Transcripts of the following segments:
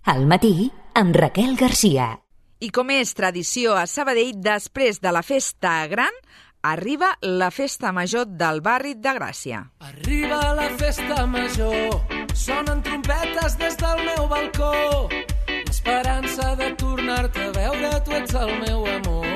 Al matí, amb Raquel Garcia. I com és tradició a Sabadell, després de la festa gran, arriba la festa major del barri de Gràcia. Arriba la festa major, sonen trompetes des del meu balcó, l'esperança de tornar-te a veure, tu ets el meu amor.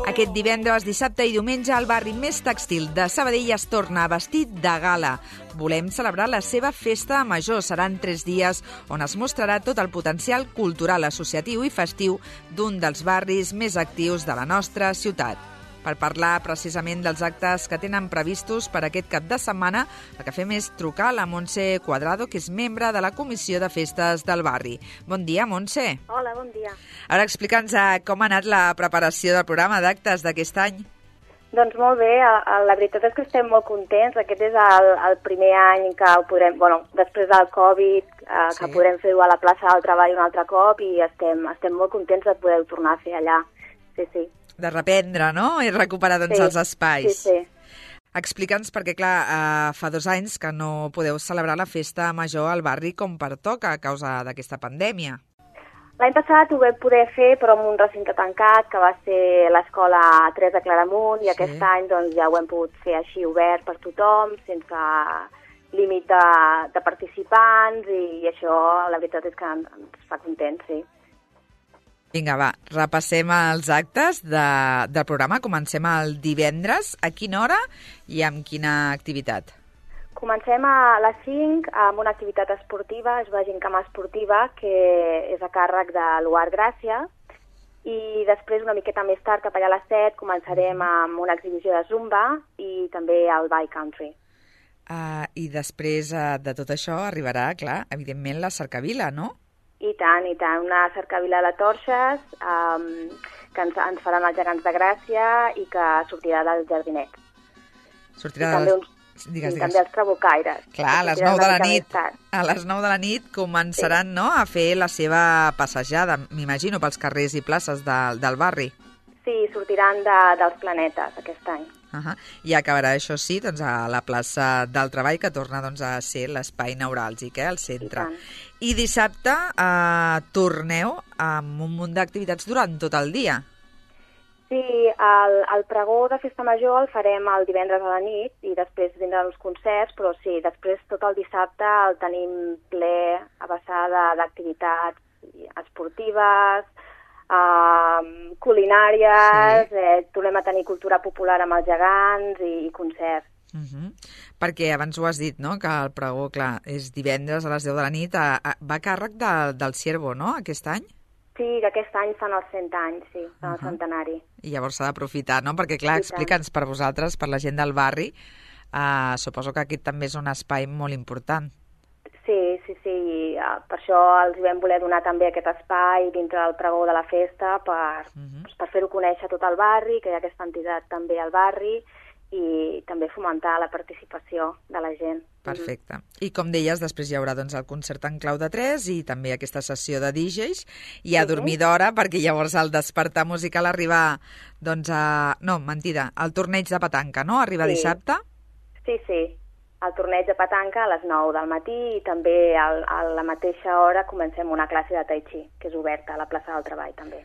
Aquest divendres, dissabte i diumenge, el barri més tèxtil de Sabadell es torna vestit de gala. Volem celebrar la seva festa major. Seran 3 dies on es mostrarà tot el potencial cultural, associatiu i festiu d'un dels barris més actius de la nostra ciutat. Per parlar precisament dels actes que tenen previstos per aquest cap de setmana, el que fem és trucar a la Montse Cuadrado, que és membre de la Comissió de Festes del barri. Bon dia, Montse. Hola, bon dia. Ara explica'ns com ha anat la preparació del programa d'actes d'aquest any. Doncs molt bé, la veritat és que estem molt contents. Aquest és el primer any que ho podrem, després del Covid, que podrem fer-ho a la plaça del Treball un altre cop i estem molt contents de poder tornar a fer allà. Sí. De reprendre, no? I recuperar els espais. Sí. Explica'ns, perquè clar, fa 2 anys que no podeu celebrar la festa major al barri com pertoca a causa d'aquesta pandèmia. L'any passat ho vam poder fer, però en un recinte tancat, que va ser l'escola 3 de Claramunt, i aquest any ja ho hem pogut fer així obert per tothom, sense límit de participants, i això la veritat és que ens fa contents, sí. Vinga, va, repassem els actes del programa. Comencem el divendres. A quina hora i amb quina activitat? Comencem a les 5 amb una activitat esportiva, es va gincama esportiva, que és a càrrec de l'UAR Gràcia, i després, una miqueta més tard, cap allà a les 7, començarem amb una exhibició de Zumba i també el Bike Country. I després de tot això arribarà, clar, evidentment, la cercavila, no? I tant, una cercavila de torxes que ens faran els gegants de Gràcia i que sortirà del jardinet. Sortirà també els trabucaires. Clar, a les 9 de la nit. A les 9 de la nit començaran a fer la seva passejada, m'imagino, pels carrers i places del barri. Sí, sortiran dels planetes aquest any. I acabarà, això sí, a la plaça del Treball, que torna a ser l'espai neuràlgic, al centre. I dissabte torneu amb un munt d'activitats durant tot el dia. Sí, el pregó de Festa Major el farem el divendres a la nit i després vindran uns concerts, però sí, després tot el dissabte el tenim ple a vessar d'activitats esportives, culinàries, tornem a tenir cultura popular amb els gegants i concerts. Perquè abans ho has dit, no?, que el pregó, clar, és divendres a les 10 de la nit, va a càrrec del Ciervo, no?, aquest any? Sí, aquest any fan els 100 anys, sí, fan el centenari. I llavors s'ha d'aprofitar, no?, perquè, clar, explica'ns per vosaltres, per la gent del barri, suposo que aquest també és un espai molt important. Sí, per això els vam voler donar també aquest espai dintre del pregó de la festa per fer-ho conèixer tot el barri, que hi ha aquesta entitat també al barri i també fomentar la participació de la gent. Perfecte. I com deies, després hi haurà el concert en clau de 3 i també aquesta sessió de DJs i a dormir d'hora, perquè llavors el despertar musical arriba, el torneig de petanca, no? Arriba dissabte? Sí. El torneig de petanca a les 9 del matí i també a la mateixa hora comencem una classe de Tai Chi, que és oberta a la plaça del Treball també.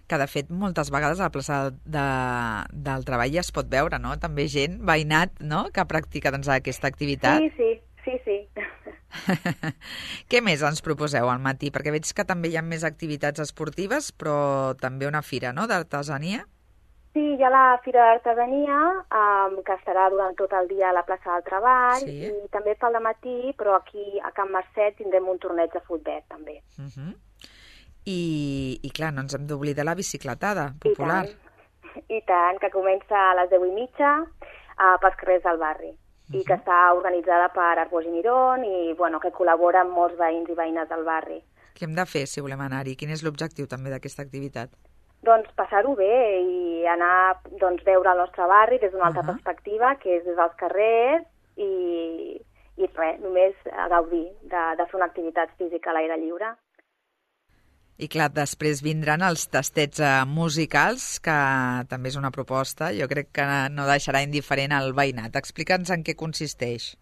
Que de fet moltes vegades a la plaça del Treball ja es pot veure, no? També gent, veïnat, no?, que practica aquesta activitat. Sí. Què més ens proposeu al matí? Perquè veig que també hi ha més activitats esportives, però també una fira, no?, d'artesania. Sí, hi ha la Fira d'Artesania, que estarà durant tot el dia a la plaça del Treball, i també pel matí, però aquí a Can Marcet tindrem un torneig de futbol, també. I clar, no ens hem d'oblidar la bicicletada popular. I tant, que comença a les 10:30 pels carrers del barri, i que està organitzada per Arbós i Mirón, i que col·labora amb molts veïns i veïnes del barri. Què hem de fer si volem anar-hi? Quin és l'objectiu també d'aquesta activitat? Doncs passar-ho bé i anar, veure el nostre barri des d'una altra perspectiva, que és des dels carrers, i res, només gaudir de fer una activitat física a l'aire lliure. I clar, després vindran els tastets musicals, que també és una proposta, jo crec que no deixarà indiferent al veïnat. Explica'ns en què consisteix.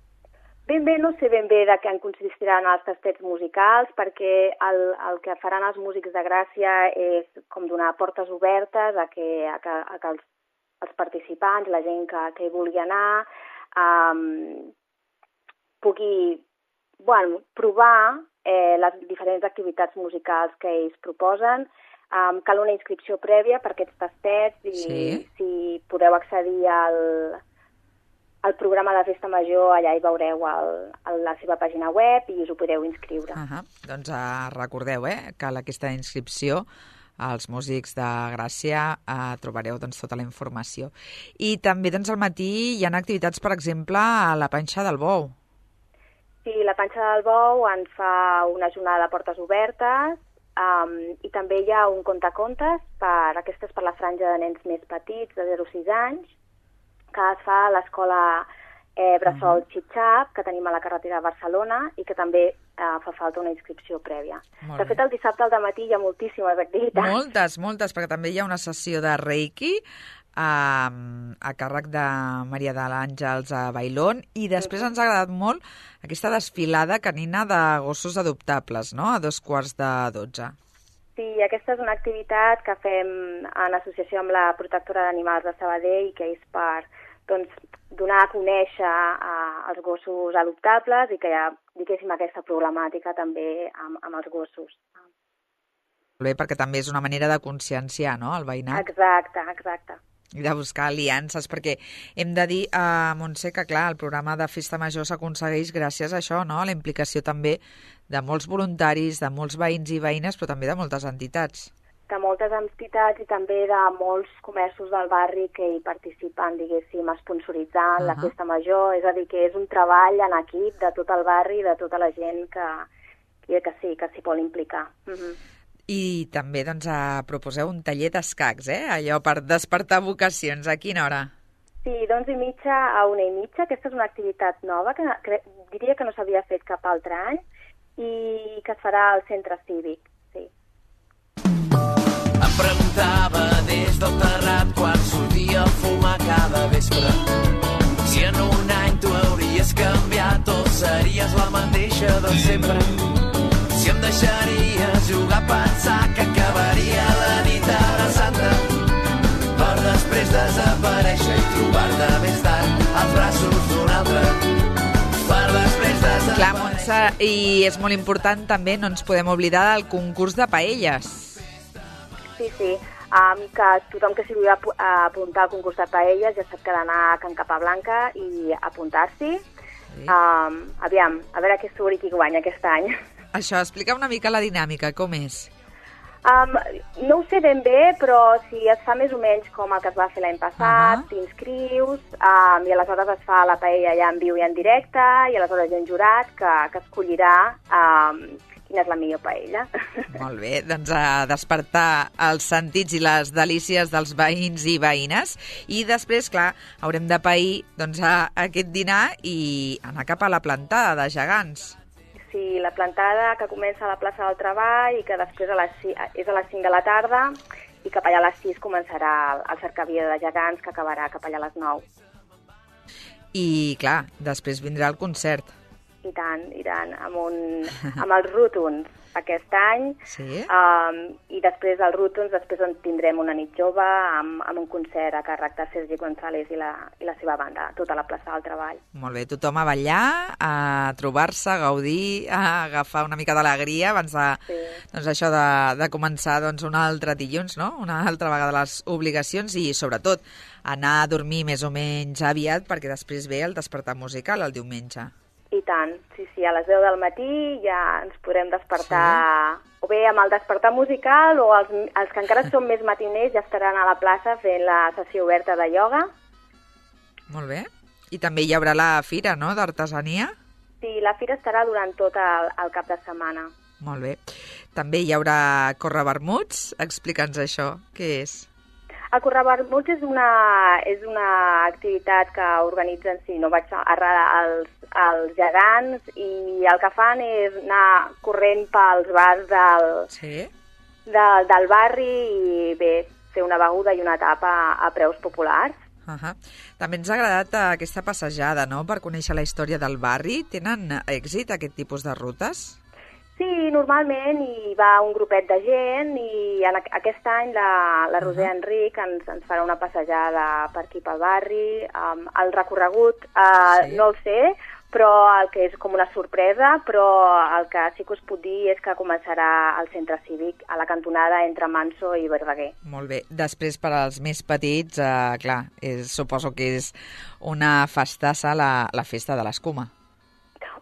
Ben bé, no sé ben bé de què en consistiran els tastets musicals, perquè el que faran els músics de Gràcia és com donar portes obertes a que els participants, la gent que hi vulgui anar, pugui provar les diferents activitats musicals que ells proposen. Cal una inscripció prèvia per aquests tastets i si podeu accedir al programa de Festa Major, allà hi veureu la seva pàgina web i us ho podeu inscriure. Doncs recordeu que aquesta inscripció als músics de Gràcia trobareu tota la informació. I també al matí hi ha activitats, per exemple, a la Panxa del Bou. Sí, la Panxa del Bou ens fa una jornada de portes obertes i també hi ha un contacontes per la franja de nens més petits, de 0 a 6 anys, que es fa a l'escola Bressol Xitxap, que tenim a la carretera de Barcelona i que també fa falta una inscripció prèvia. De fet, el dissabte al dematí hi ha moltíssimes activitats. Moltes, perquè també hi ha una sessió de Reiki a càrrec de Maria de l'Àngels a Bailón i després ens ha agradat molt aquesta desfilada canina de gossos adoptables, no?, a 11:45. Sí, aquesta és una activitat que fem en associació amb la Protectora d'Animals de Sabadell, que és per donar a conèixer els gossos adoptables i que hi ha, diguéssim, aquesta problemàtica també amb els gossos. Molt bé, perquè també és una manera de conscienciar, no?, el veïnat. Exacte. I de buscar aliances, perquè hem de dir, Montse, que clar, el programa de Festa Major s'aconsegueix gràcies a això, no?, a la implicació també de molts voluntaris, de molts veïns i veïnes, però també de moltes entitats. De moltes entitats i també de molts comerços del barri que hi participen, diguéssim, sponsoritzant la Festa Major. És a dir, que és un treball en equip de tot el barri i de tota la gent que s'hi vol implicar. I també proposeu un taller d'escacs, allò per despertar vocacions. A quina hora? Sí, d'11:30 a 1:30. Aquesta és una activitat nova que diria que no s'havia fet cap altre any i que es farà al centre cívic. Sí. Em preguntava des del terrat quan sortia a fumar cada vespre si en un any tu hauries canviat o series la mateixa de sempre. Si em deixaries jugar a pensar que acabaria la nit de Santa per després desaparèixer i trobar-te més tard als braços d'un altre per després desaparèixer. Clar, Montse, i és molt important també, no ens podem oblidar del concurs de paelles. Sí, que tothom que s'hi vulgui apuntar al concurs de paelles ja sap que ha d'anar a Can Capablanca i apuntar-s'hi. Aviam, a veure què surt i qui guanya aquest any. Això, explica una mica la dinàmica, com és? No ho sé ben bé, però si es fa més o menys com el que es va fer l'any passat, t'inscrius i aleshores es fa la paella ja en viu i en directe i aleshores hi ha un jurat que escollirà quina és la millor paella. Molt bé, doncs a despertar els sentits i les delícies dels veïns i veïnes i després, clar, haurem de pair aquest dinar i anar cap a la plantada de gegants. Sí, la plantada que comença a la plaça del Treball i que després és a les 5 de la tarda i cap allà a les 6 començarà el cercavia de gegants que acabarà cap allà a les 9. I, clar, després vindrà el concert. I tant, amb els Rútons aquest any. Sí. I després dels Rútons, després en tindrem una nit jove amb un concert a càrrec de Sergi González i la seva banda, tota la plaça del Treball. Molt bé, tothom a ballar, a trobar-se, a gaudir, a agafar una mica d'alegria abans de començar un altre dilluns, no? Una altra vegada les obligacions i, sobretot, anar a dormir més o menys aviat perquè després ve el despertar musical el diumenge. I tant, sí, a les 10 del matí ja ens podrem despertar, o bé amb el despertar musical o els que encara són més matiners ja estaran a la plaça fent la sessió oberta de ioga. Molt bé. I també hi haurà la fira, no?, d'artesania? Sí, la fira estarà durant tot el cap de setmana. Molt bé. També hi haurà correvermuts? Explica'ns això, què és? El correvermuts és una activitat que organitzen, els gegants i el que fan és anar corrent pels bars del barri i bé, fer una beguda i una tapa a preus populars. També ens ha agradat aquesta passejada, no?, per conèixer la història del barri. Tenen èxit aquest tipus de rutes? Sí, normalment hi va un grupet de gent i aquest any la Roser Enric ens farà una passejada per aquí pel barri. El recorregut no el sé, però el que és com una sorpresa, però el que sí que us puc dir és que començarà al centre cívic, a la cantonada entre Manso i Verdaguer. Molt bé. Després, per als més petits, clar, suposo que és una festassa la festa de l'escuma.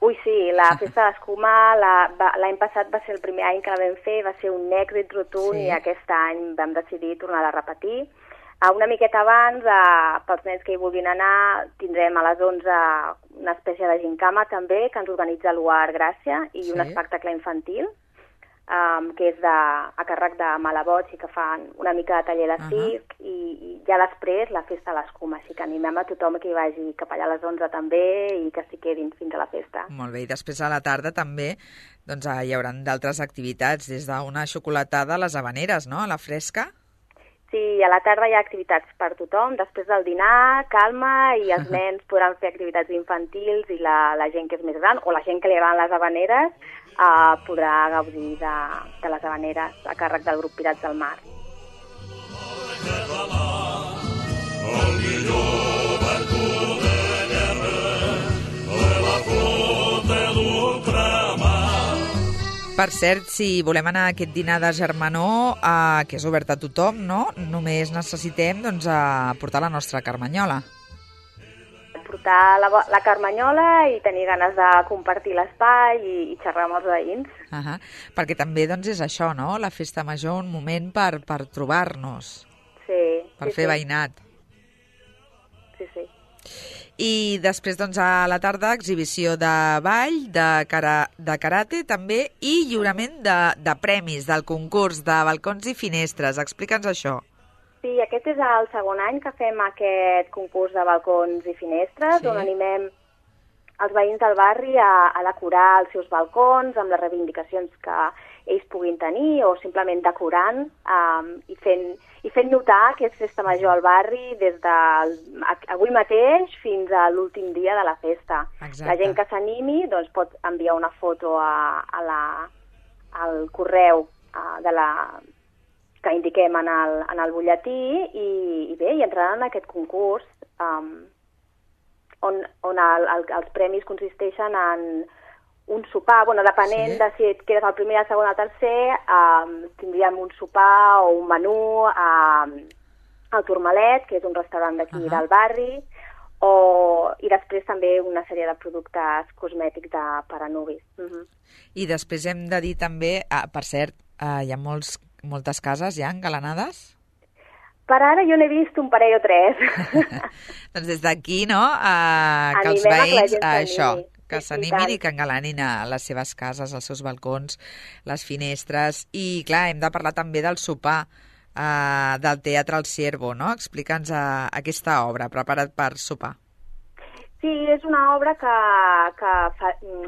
Ui, sí, la festa de l'escuma l'any passat va ser el primer any que la vam fer, va ser un èxit rotund i aquest any vam decidir tornar a repetir. Una miqueta abans, pels nens que hi vulguin anar, tindrem a les 11 una espècie de gincama també, que ens organitza l'UAR Gràcia, i un espectacle infantil, que és a càrrec de Malaboig i que fan una mica de taller de circ, i ja després la festa a l'escuma, així que animem a tothom que hi vagi cap allà a les 11 també i que s'hi quedin fins a la festa. Molt bé, i després a la tarda també doncs, hi haurà d'altres activitats, des d'una xocolatada a les Havaneres, no?, a la fresca. Sí, a la tarda hi ha activitats per tothom, després del dinar, calma, i els nens podran fer activitats infantils i la gent que és més gran, o la gent que li agraden les Havaneres, podrà gaudir de les Havaneres a càrrec del grup Pirats del Mar. El millor barco de guerra de la flota d'ultramar. Per cert, si volem anar a aquest dinar de germanor, que és obert a tothom, no? Només necessitem portar la nostra carmanyola. Portar la carmanyola i tenir ganes de compartir l'espai i xerrar amb els veïns. Perquè també és això, no?, la festa major, un moment per trobar-nos, per fer veïnat. Sí. I després, a la tarda, exhibició de ball, de karate també, i lliurament de premis del concurs de balcons i finestres. Explica'ns això. Sí, aquest és el segon any que fem aquest concurs de balcons i finestres, on animem els veïns del barri a decorar els seus balcons amb les reivindicacions que ells puguin tenir, o simplement decorant i fent notar que és festa major al barri des d'avui mateix fins a l'últim dia de la festa. Exacte. La gent que s'animi pot enviar una foto al correu que indiquem en el butlletí i entraran en aquest concurs on els premis consisteixen en un sopar, depenent de si et quedes el primer, el segon o el tercer, tindríem un sopar o un menú al Tourmalet, que és un restaurant d'aquí del barri, i després també una sèrie de productes cosmètics per a nuvis. I després hem de dir també, per cert, hi ha moltes cases ja engalanades? Per ara jo n'he vist un parell o tres. Doncs des d'aquí, no?, que els veïns, que s'animin i que engalanin a les seves cases, els seus balcons, les finestres. I, clar, hem de parlar també del sopar del Teatre El Ciervo, no? Explica'ns aquesta obra, Prepara't per sopar. Sí, és una obra que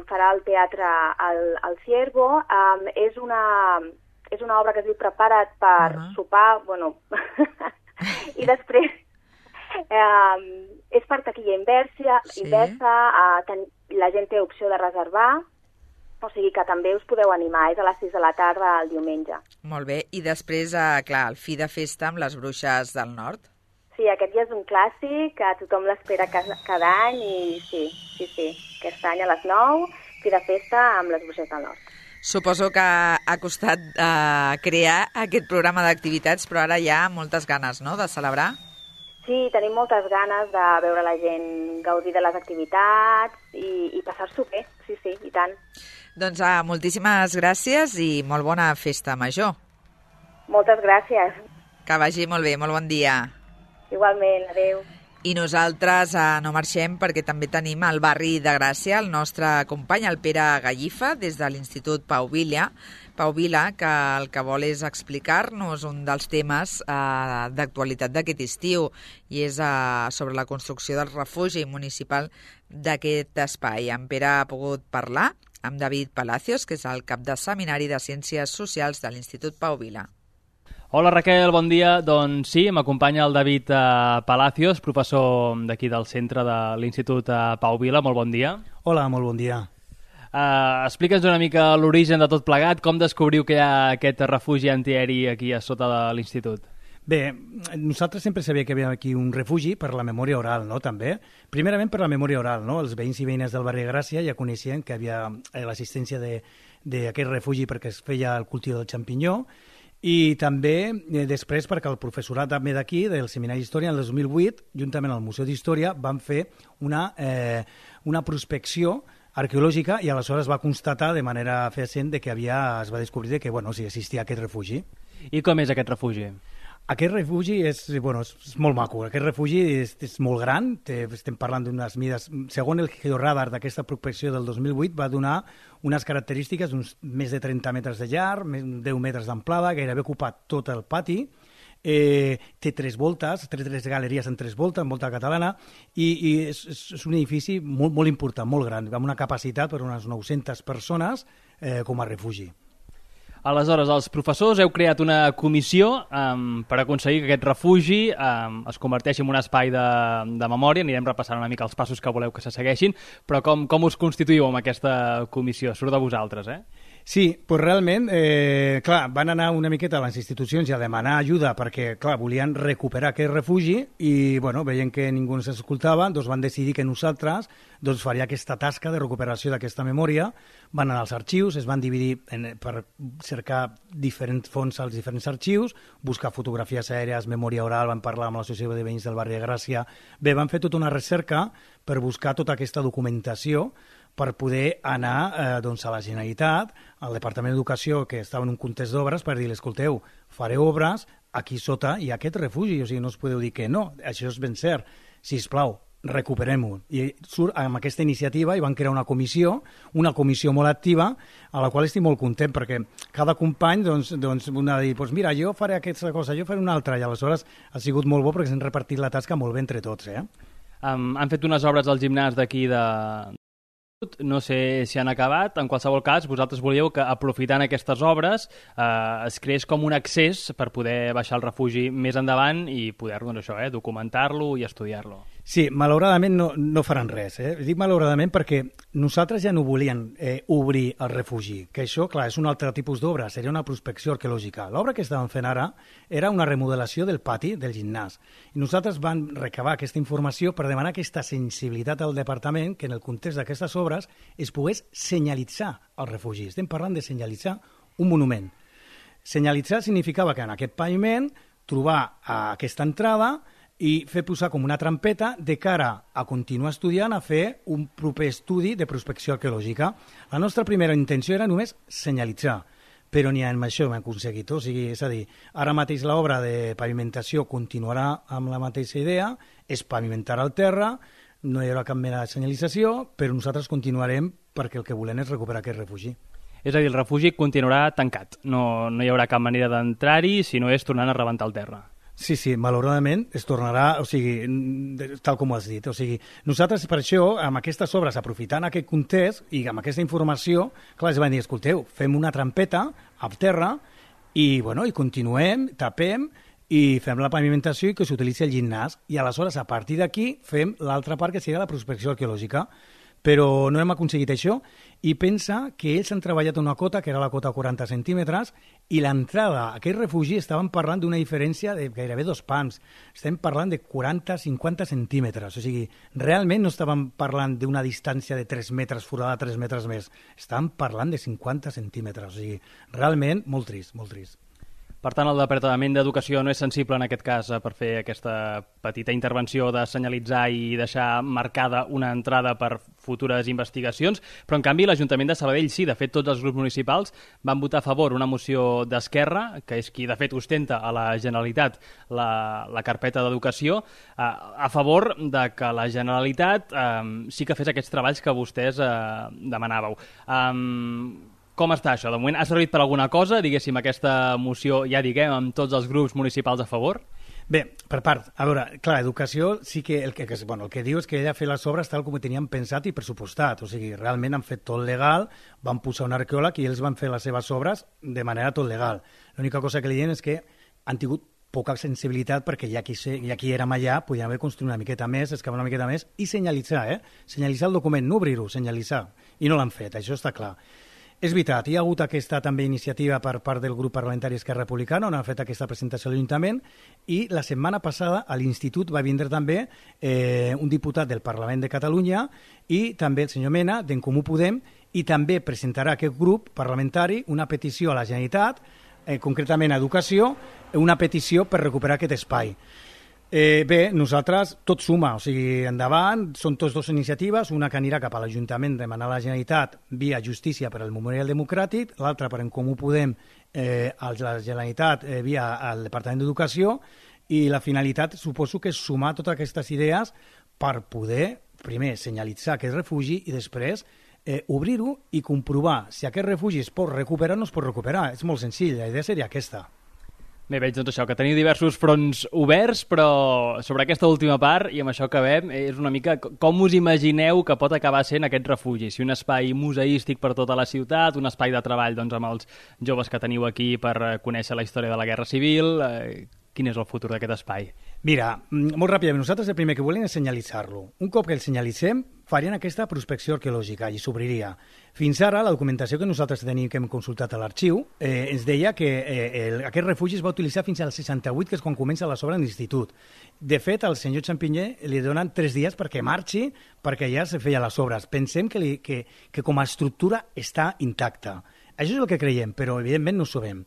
farà el Teatre El Ciervo. És una obra que es diu Prepara't per sopar, i després és per taquilla inversa, la gent té opció de reservar, o sigui que també us podeu animar, és a les 6 de la tarda el diumenge. Molt bé, i després, clar, el fi de festa amb les Bruixes del Nord. Sí, aquest ja és un clàssic, que tothom l'espera cada any, i sí, aquest any a les 9, fi de festa amb les Bruixes del Nord. Suposo que ha costat crear aquest programa d'activitats, però ara hi ha moltes ganes, no?, de celebrar. Sí, tenim moltes ganes de veure la gent gaudir de les activitats i passar-s'ho bé, sí, i tant. Doncs moltíssimes gràcies i molt bona festa major. Moltes gràcies. Que vagi molt bé, molt bon dia. Igualment, adéu. I nosaltres no marxem perquè també tenim al barri de Gràcia el nostre company, el Pere Gallifa, des de l'Institut Pau Vila, que el que vol és explicar-nos un dels temes d'actualitat d'aquest estiu, i és sobre la construcció del refugi municipal d'aquest espai. En Pere ha pogut parlar amb David Palacios, que és el cap de Seminari de Ciències Socials de l'Institut Pau Vila. Hola Raquel, bon dia. Doncs sí, m'acompanya el David Palacios, professor d'aquí del centre de l'Institut Pau Vila. Molt bon dia. Hola, molt bon dia. Explica'ns una mica l'origen de tot plegat, com descobriu que hi ha aquest refugi antiaeri aquí a sota de l'Institut. Bé, nosaltres sempre sabíem que hi havia aquí un refugi per la memòria oral, no?, també. Primerament per la memòria oral, no? Els veïns i veïnes del barri de Gràcia ja coneixien que hi havia l'assistència d'aquest refugi perquè es feia el cultiu del xampinyó, i també després perquè el professorat també d'aquí, del Seminari d'Història, en el 2008, juntament al Museu d'Història, van fer una prospecció arqueològica i aleshores va constatar de manera fehacent que es va descobrir que sí, existia aquest refugi. I com és aquest refugi? Aquest refugi és molt maco. Aquest refugi és molt gran, estem parlant d'unes mides... Segons el georadar d'aquesta prospecció del 2008, va donar unes característiques d'uns més de 30 metres de llarg, 10 metres d'amplada, gairebé ocupat tot el pati, té 3 voltes, 3 galeries en 3 voltes, en volta catalana, i és un edifici molt, molt important, molt gran, amb una capacitat per unes 900 persones com a refugi. Aleshores, els professors heu creat una comissió per aconseguir que aquest refugi es converteixi en un espai de memòria. Anirem repassant una mica els passos que voleu que se segueixin, però com us constituïu amb aquesta comissió? Surt de vosaltres, eh? Sí, doncs realment, van anar una miqueta a les institucions i a demanar ajuda perquè, volien recuperar aquest refugi i, veient que ningú ens escoltava, doncs van decidir que nosaltres faria aquesta tasca de recuperació d'aquesta memòria. Van anar als arxius, es van dividir per cercar diferents fonts als diferents arxius, buscar fotografies aèries, memòria oral, van parlar amb l'Associació de Veïns del barri de Gràcia. Bé, van fer tota una recerca per buscar tota aquesta documentació per poder anar a la Generalitat, al Departament d'Educació, que estava en un context d'obres, per dir, escolteu, fareu obres, aquí sota hi ha aquest refugi, o sigui, no us podeu dir que no, això és ben cert, sisplau, recuperem-ho. I surt amb aquesta iniciativa i van crear una comissió molt activa, a la qual estic molt content, perquè cada company una dir, mira, jo faré aquesta cosa, jo faré una altra, i aleshores ha sigut molt bo perquè s'han repartit la tasca molt bé entre tots. Han fet unes obres al gimnàs d'aquí no sé si han acabat. En qualsevol cas, vosaltres volíeu que, aprofitant aquestes obres, es creés com un accés per poder baixar el refugi més endavant i poder documentar-lo i estudiar-lo. Sí, malauradament no faran res. Dic malauradament perquè nosaltres ja no volien obrir el refugi, que això, clar, és un altre tipus d'obra, seria una prospecció arqueològica. L'obra que estàvem fent ara era una remodelació del pati del gimnàs. I nosaltres vam recabar aquesta informació per demanar aquesta sensibilitat al departament que en el context d'aquestes obres es pogués senyalitzar el refugi. Estem parlant de senyalitzar un monument. Senyalitzar significava que en aquest paviment trobar aquesta entrada i fer posar com una trampeta de cara a continuar estudiant, a fer un proper estudi de prospecció arqueològica. La nostra primera intenció era només senyalitzar, però ni amb això hem aconseguit. O sigui, és a dir, ara mateix l'obra de pavimentació continuarà amb la mateixa idea, es pavimentarà el terra, no hi haurà cap mena de senyalització, però nosaltres continuarem perquè el que volem és recuperar aquest refugi. És a dir, el refugi continuarà tancat, no hi haurà cap manera d'entrar-hi, si no és tornant a rebentar el terra. Sí, malauradament es tornarà, o sigui, tal com ho has dit. O sigui, nosaltres per això, amb aquestes obres, aprofitant aquest context i amb aquesta informació, clar, es van dir, escolteu, fem una trampeta a terra i continuem, tapem i fem la pavimentació i que s'utilitzi el gimnàs. I aleshores, a partir d'aquí, fem l'altra part que seria la prospecció arqueològica. Però no hem aconseguit això i pensa que ells han treballat una cota, que era la cota 40 centímetres, i l'entrada a aquest refugi estàvem parlant d'una diferència de gairebé 2 pams. Estem parlant de 40-50 centímetres. O sigui, realment no estàvem parlant d'una distància de 3 metres, forada 3 metres més. Estàvem parlant de 50 centímetres. O sigui, realment molt trist, molt trist. Per tant, el Departament d'Educació no és sensible en aquest cas per fer aquesta petita intervenció de senyalitzar i deixar marcada una entrada per futures investigacions, però en canvi l'Ajuntament de Sabadell sí, de fet tots els grups municipals van votar a favor una moció d'Esquerra, que és qui de fet ostenta a la Generalitat la carpeta d'Educació, a favor de que la Generalitat sí que fes aquests treballs que vostès demanàveu. Com està això? De moment ha servit per alguna cosa, diguéssim, aquesta moció, ja diguem, amb tots els grups municipals a favor? Bé, per part, a veure, clar, educació sí que el que diu és que ella ha fet les obres tal com ho teníem pensat i pressupostat, o sigui, realment han fet tot legal, van posar un arqueòleg i ells van fer les seves obres de manera tot legal. L'única cosa que li diem és que han tingut poca sensibilitat perquè ja qui érem allà podíem haver construït una miqueta més, excavar una miqueta més i senyalitzar, senyalitzar el document, no obrir-ho, senyalitzar. I no l'han fet, això està clar. És veritat, hi ha hagut aquesta també iniciativa per part del grup parlamentari Esquerra Republicana, on han fet aquesta presentació a l'Ajuntament, i la setmana passada a l'Institut va vindre també un diputat del Parlament de Catalunya i també el senyor Mena, d'En Comú Podem, i també presentarà aquest grup parlamentari una petició a la Generalitat, concretament a Educació, una petició per recuperar aquest espai. Bé, nosaltres tot suma, o sigui, endavant, són tots dues iniciatives, una que anirà cap a l'Ajuntament demanar a la Generalitat via Justícia per al Memorial Democràtic, l'altra per En Comú Podem a la Generalitat via al Departament d'Educació, i la finalitat suposo que és sumar totes aquestes idees per poder, primer, senyalitzar aquest refugi i després obrir-ho i comprovar si aquest refugi es pot recuperar o no es pot recuperar. És molt senzill, la idea seria aquesta. Bé, veig doncs això, que teniu diversos fronts oberts, però sobre aquesta última part, i amb això acabem, és una mica com us imagineu que pot acabar sent aquest refugi? Si un espai museístic per tota la ciutat, un espai de treball doncs, amb els joves que teniu aquí per conèixer la història de la Guerra Civil, quin és el futur d'aquest espai? Mira, molt ràpidament, nosaltres el primer que volem és senyalitzar-lo. Un cop que el senyalitzem, farien aquesta prospecció arqueològica i s'obriria. Fins ara, la documentació que nosaltres tenim que hem consultat a l'arxiu ens deia que aquest refugi es va utilitzar fins al 68, que és quan comença les obres de l'institut. De fet, al senyor Champigné li donen 3 dies perquè marxi, perquè ja se feia les obres. Pensem que com a estructura està intacta. Això és el que creiem, però evidentment no ho sabem.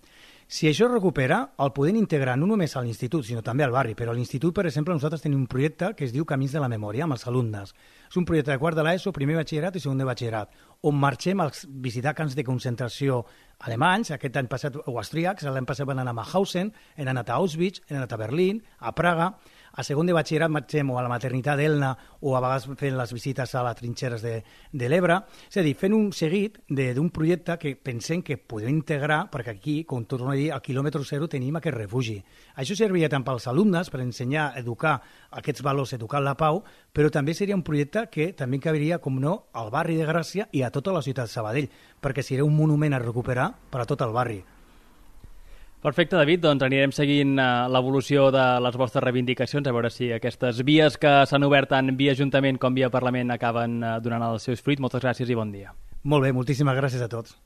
Si això es recupera, el podem integrar no només a l'institut, sinó també al barri. Però a l'institut, per exemple, nosaltres tenim un projecte que es diu Camins de la Memòria, amb els alumnes. És un projecte de quart de l'ESO, primer batxillerat i segon de batxillerat, on marxem a visitar camps de concentració alemanys, aquest any passat, o austríacs, l'any passat van anar a Mauthausen, han anat a Auschwitz, han anat a Berlín, a Praga. A segon de batxillerat marxem o a la maternitat d'Elna o a vegades fent les visites a les trinxeres de l'Ebre. És a dir, fent un seguit d'un projecte que pensem que podem integrar, perquè aquí, com torno a dir, al quilòmetre zero tenim aquest refugi. Això serviria tant pels alumnes per ensenyar, educar aquests valors, educar la pau, però també seria un projecte que també cabiria, com no, al barri de Gràcia i a tota la ciutat de Sabadell, perquè seria un monument a recuperar per a tot el barri. Perfecte, David, doncs anirem seguint l'evolució de les vostres reivindicacions, a veure si aquestes vies que s'han obert tant via Ajuntament com via Parlament acaben donant els seus fruits. Moltes gràcies i bon dia. Molt bé, moltíssimes gràcies a tots.